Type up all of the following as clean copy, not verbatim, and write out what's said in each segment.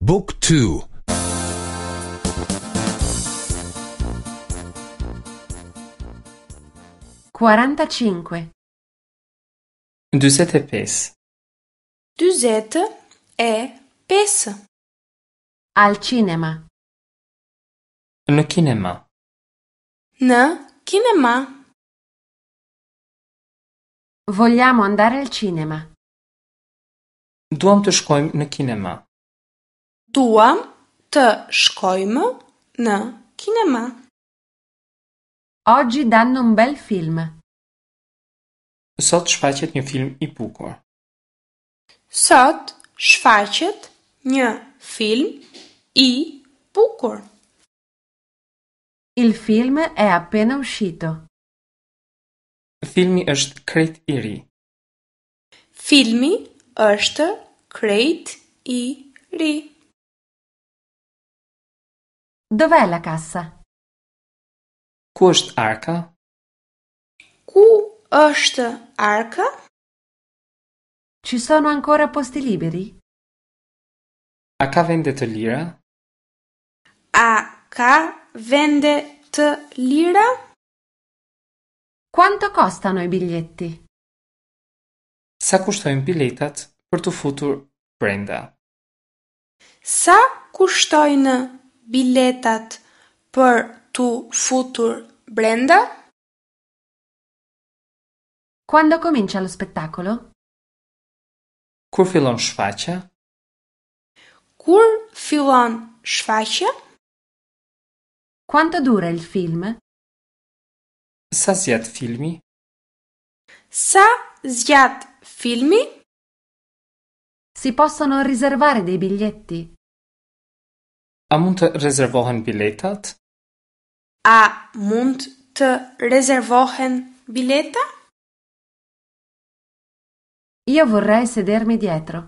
Book 2 45. 45. 45. Al cinema. Në kinema. Në kinema. Vogliamo andare al cinema. Duam të shkojmë në kinema. Duam të shkojmë në kinema. Oggi danno un bel film. Sot shfaqet një film i bukur. Sot shfaqet një film i bukur. Il film è appena uscito. Filmi është krejt i ri. Filmi është krejt i ri. Dov'è la cassa? Ku është arka? Ku është arka? Ci sono ancora posti liberi? A ka vende të lira? A ka vende të lira? Quanto costano i biglietti? Sa kushtojnë biletat për t'u futur brenda? Sa kushtojnë biletat për t'u futur brenda? Quando comincia lo spettacolo? Kur fillon shfaqja? Kur fillon shfaqja? Quanto dura il film? Sa zgjat filmi? Sa zgjat filmi? Si possono riservare dei biglietti? A mund të rezervohen biletat? A mund të rezervohen bileta? Io vorrei sedermi dietro.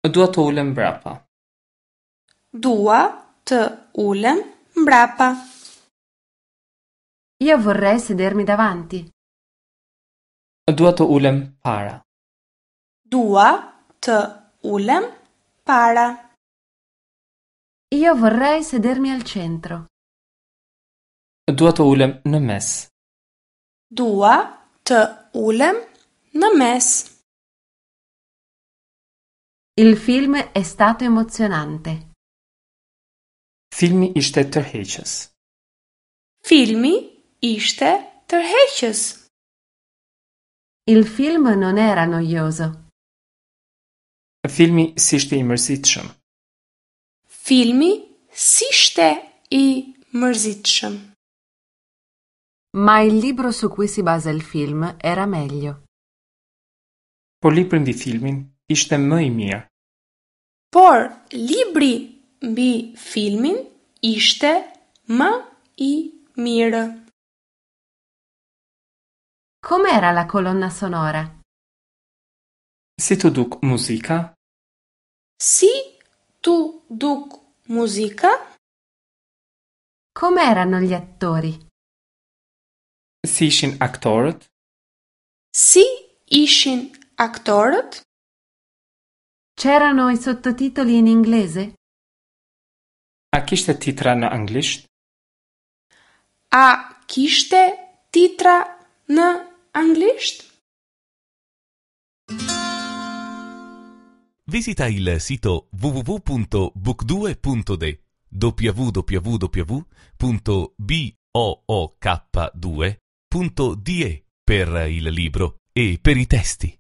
Dua të ulem mbrapa. Dua të ulem mbrapa. Io vorrei sedermi davanti. Dua të ulem para. Dua të ulem para. Io vorrei sedermi al centro. Dua të ulem në mes. Dua të ulem në mes. Il film è stato emozionante. Filmi ishte tërheqës. Filmi ishte tërheqës. Il film non era noioso. Filmi s'ishte i mërzitshëm. Filmi s'ishte i mërzitshëm. Ma il libro su cui si basa il film era meglio. Por libri mbi filmin ishte më i mirë. Por libri mbi filmin ishte më i mirë. Com'era la colonna sonora? Si t'u duk muzika? Si t'u duk muzika? Com'erano gli attori? Si ishin aktorët? Si ishin aktorët? C'erano i sottotitoli in inglese? A kishte titra në anglisht? A kishte titra në anglisht? Visita il sito www.book2.de www.book2.de per il libro e per i testi.